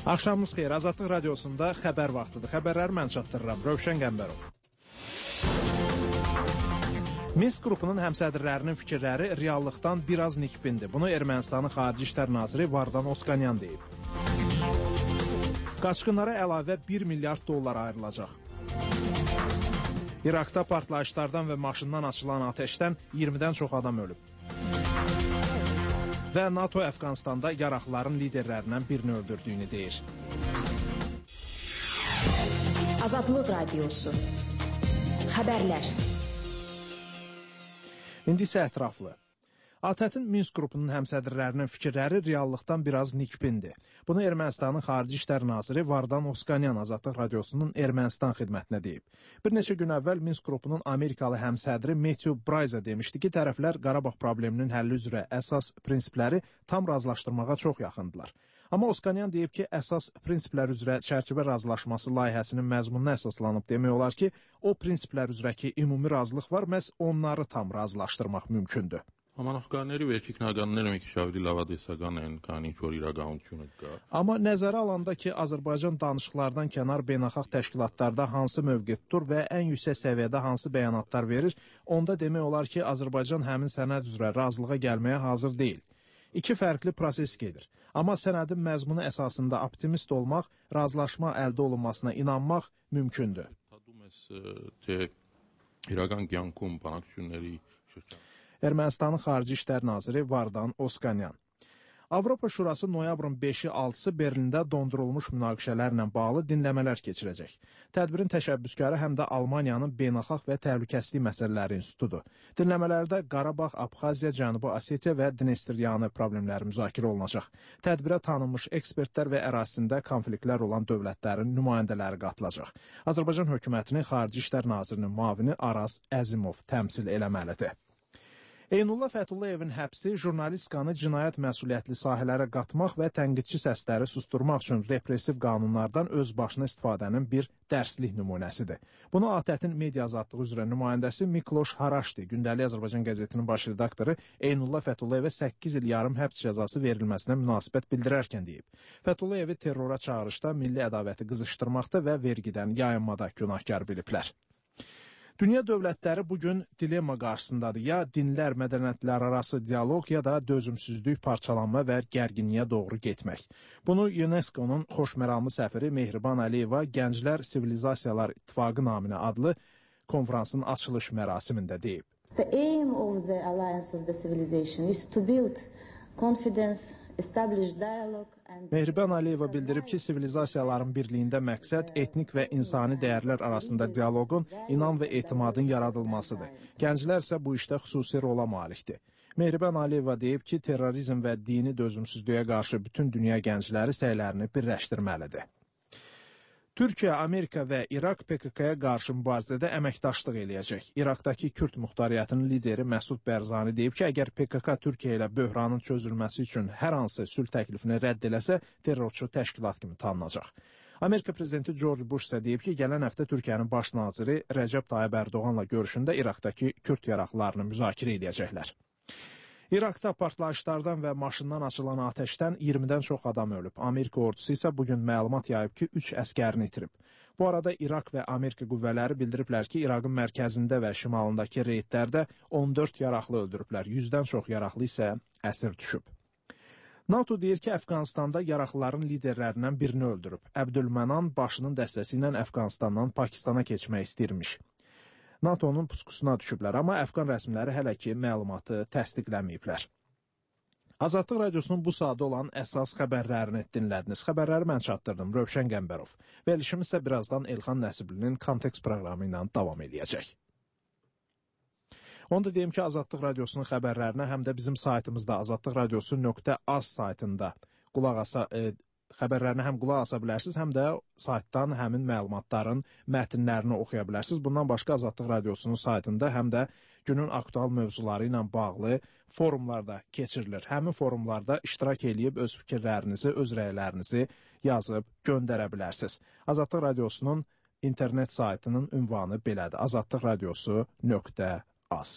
Axşamınız xeyir. Azadlıq radiosunda xəbər vaxtıdır. Xəbərləri mən çatdırıram. Rövşən Qəmbərov. Minsk qrupunun həmsədrlərinin fikirləri reallıqdan biraz nikbindir. Bunu Ermənistanın Xarici İşlər Naziri Vardan Oskanyan deyib. Qaçqınlara əlavə 1 milyard dollar ayrılacaq. İraqda partlayışlardan və maşından açılan ateşdən 20-dən çox adam ölüb. Və NATO Əfqanistanda yaraqlıların liderlərindən birini öldürdüyünü deyir. Azadlıq Radiosu. Xəbərlər. İndi isə ətraflı. ATƏT-in Minsk qrupunun həmsədrlərinin fikirləri reallıqdan biraz nikbindir. Bunu Ermənistanın Xarici İşlər Naziri Vardan Oskanyan Azadlıq Radiosunun Ermənistan xidmətinə deyib. Bir neçə gün əvvəl Minsk qrupunun Amerikalı həmsədri Matthew Bryza demişdi ki, tərəflər Qarabağ probleminin həlli üzrə əsas prinsipləri tam razılaşdırmağa çox yaxındılar. Amma Oskanyan deyib ki, əsas prinsiplər üzrə çərçivə razılaşması layihəsinin məzmununa əsaslanıb demək olar ki, o prinsiplər üzrəki ümumi razılıq var, məhz onları tam razılaşdırmaq mümkündür. Համանախագահների վերջին քննադատները մի քիչ ավելի լավադեսական են, քան ինչ որ իրականությունը կա. Amma nəzərə alanda ki, Azərbaycan danışıqlardan kənar beynəlxalq təşkilatlarda hansı mövqe tutur və ən yüksək səviyyədə hansı bəyanatlar verir, onda demək olar ki, Azərbaycan həmin sənəd üzrə razılığa gəlməyə hazır deyil. İki fərqli proses gedir. Amma sənədin məzmunu əsasında optimist olmaq, razılaşma əldə olunmasına inanmaq mümkündür. Ermənistanın Xarici İşlər Naziri Vardan Oskanyan. Avropa Şurası noyabrın 5-i 6-sı Berlində dondurulmuş münaqişələrlə bağlı dinləmələr keçirəcək. Tədbirin təşəbbüskarı həm də Almaniyanın Beynəlxalq və Təhlükəsizlik Məsələləri İnstitutudur. Dinləmələrdə Qarabağ, Abxaziya, Cənubi Osetiya və Dnestryanı problemləri müzakirə olunacaq. Tədbirə tanınmış ekspertlər və ərazisində konfliktlər olan dövlətlərin nümayəndələri qatılacaq. Azərbaycan hökumətinin Xarici İşlər Nazirinin müavini Araz Əzimov təmsil eləməlidir. Eynullah Fətullayevin həbsi jurnalistikanı cinayət məsuliyyətli sahələrə qatmaq və tənqidçi səsləri susturmaq üçün repressiv qanunlardan öz başına istifadənin bir dərslik nümunəsidir. Bunu ATƏT-in media azadlığı üzrə nümayəndəsi Mikloş Haraşdi, Gündəlik Azərbaycan qəzetinin baş redaktoru Eynullah Fətullayevə 8 il yarım həbs cəzası verilməsinə münasibət bildirərkən deyib. Fətullayevi terrora çağırışda milli ədavəti qızışdırmaqda və vergidən yayınmada günahkar biliblər. Dünya dövlətləri bugün dilemma qarşısındadır. Ya dinlər, mədəniyyətlər arası dialoq, ya da dözümsüzlük, parçalanma və gərginliyə doğru getmək. Bunu UNESCO-nun xoşməramlı səfiri Mehriban Əliyeva Gənclər Sivilizasiyalar İttifaqı naminə adlı konferansın açılış mərasimində deyib. The aim of the Alliance of the Civilization is to build confidence, Mehriban Əliyeva bildirib ki, sivilizasiyaların birliyində məqsəd etnik və insani dəyərlər arasında dialoqun, inam və etimadın yaradılmasıdır. Gənclər isə bu işdə xüsusi rola malikdir. Mehriban Əliyeva deyib ki, terrorizm və dini dözümsüzlüyə qarşı bütün dünya gəncləri səylərini birləşdirməlidir. Türkiyə, Amerika və İraq PKK-ya qarşı mübarizədə əməkdaşlıq eləyəcək. İraqdakı Kürd muxtariyyətinin lideri Məsud Bərzani deyib ki, əgər PKK Türkiyə ilə böhranın çözülməsi üçün hər hansı sülh təklifini rədd eləsə, terrorçu təşkilat kimi tanınacaq. Amerika prezidenti George Bush isə deyib ki, gələn həftə Türkiyənin baş naziri Rəcəb Tayyib Ərdoğanla görüşündə İraqdakı Kürd yaraqlarını müzakirə edəcəklər. İraqda partlayışlardan və maşından açılan ateşdən 20-dən çox adam ölüb. Amerika ordusu isə bugün məlumat yayıb ki, 3 əskərini itirib. Bu arada İraq və Amerika qüvvələri bildiriblər ki, İraqın mərkəzində və şimalındakı reydlərdə 14 yaraqlı öldürüblər. 100-dən çox yaraqlı isə əsir düşüb. NATO deyir ki, Əfqanistanda yaraqlıların liderlərindən birini öldürüb. Əbdülmənan başının dəstəsi ilə Əfqanistandan Pakistana keçmək istəyirmiş. NATO-nun puskusuna düşüblər, amma Əfqan rəsmiləri hələ ki məlumatı təsdiqləməyiblər. Azadlıq Radiosunun bu saatda olan əsas xəbərlərini dinlədiniz. Xəbərləri mən çatdırdım, Rövşən Qəmbərov. Verilişimiz isə birazdan Elxan Nəsiblinin Kontekst proqramı ilə davam edəcək. Onu da deyim ki, Azadlıq Radiosunun xəbərlərinə həm də bizim saytımızda azadlıqradiosu.az saytında xəbərlərinə həm qulaq asa bilərsiniz, həm də saytdan həmin məlumatların mətnlərini oxuya bilərsiniz. Bundan başqa Azadlıq Radiosunun saytında həm də günün aktual mövzuları ilə bağlı forumlarda keçirilir. Həmin forumlarda iştirak edib öz fikirlərinizi, öz rəylərinizi yazıb göndərə bilərsiniz. Azadlıq Radiosunun internet saytının ünvanı belədir. azadlıqradiosu.az